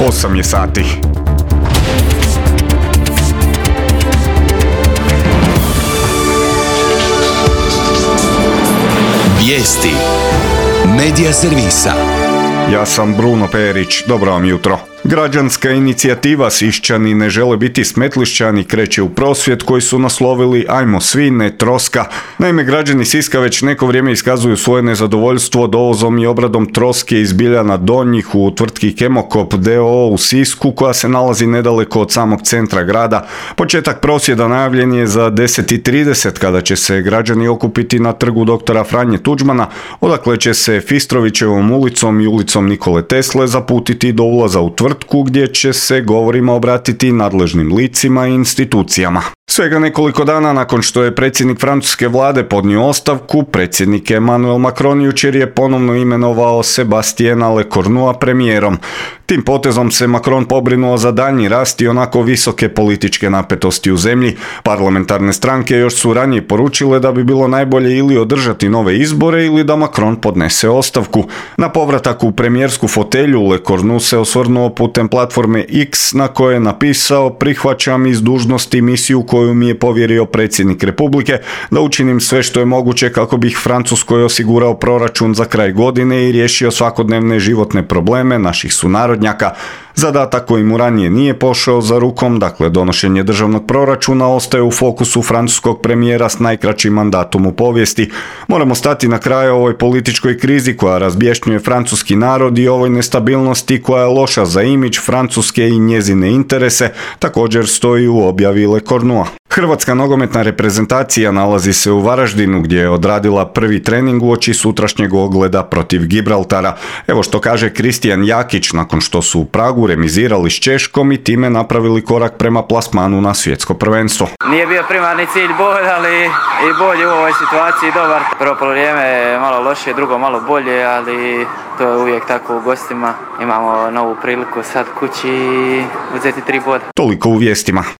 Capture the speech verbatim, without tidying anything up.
osam je sati. Vijesti Medija servisa. Ja sam Bruno Perić, dobro vam jutro. Građanska inicijativa Siščani ne žele biti Smetlišćani kreće u prosvjed koji su naslovili Ajmo svi, ne troska. Naime, građani Siska već neko vrijeme iskazuju svoje nezadovoljstvo dovozom i obradom troske iz Biljana Donjih u tvrtki Kemokop d o o u Sisku koja se nalazi nedaleko od samog centra grada. Početak prosvjeda najavljen je za deset i trideset kada će se građani okupiti na trgu doktora Franje Tuđmana, odakle će se Fistrovićevom ulicom i ulicom Nikole Tesle zaputiti do ulaza u tvrtku gdje će se govorima obratiti nadležnim licima i institucijama. Svega nekoliko dana nakon što je predsjednik francuske vlade podnio ostavku, predsjednik Emmanuel Macron jučer je ponovno imenovao Sebastiana Lecornua premijerom. Tim potezom se Macron pobrinuo za daljnji rast i onako visoke političke napetosti u zemlji. Parlamentarne stranke još su ranije poručile da bi bilo najbolje ili održati nove izbore ili da Macron podnese ostavku. Na povratak u premijersku fotelju Lecornu se osvrnuo putem platforme X na kojoj je napisao: prihvaćam iz dužnosti misiju koju mi je povjerio predsjednik Republike da učinim sve što je moguće kako bih Francuskoj osigurao proračun za kraj godine i riješio svakodnevne životne probleme naših sunarodnjaka. Zadatak koji mu ranije nije pošao za rukom, dakle donošenje državnog proračuna, ostaje u fokusu francuskog premijera s najkraćim mandatom u povijesti. Moramo stati na kraj ovoj političkoj krizi koja razbješnjuje francuski narod i ovoj nestabilnosti koja je loša za imidž Francuske i njezine interese, također stoji u objavi Lecornua. Hrvatska nogometna reprezentacija nalazi se u Varaždinu gdje je odradila prvi trening uoči sutrašnjeg ogleda protiv Gibraltara. Evo što kaže Kristijan Jakić nakon što su u Pragu remizirali s Češkom i time napravili korak prema plasmanu na svjetsko prvenstvo. Nije bio primarni cilj bolj, ali i bolje u ovoj situaciji dobar. Prvo polovrijeme je malo lošije, drugo malo bolje, ali to je uvijek tako u gostima. Imamo novu priliku sad kući uzeti tri boda. Toliko u vijestima.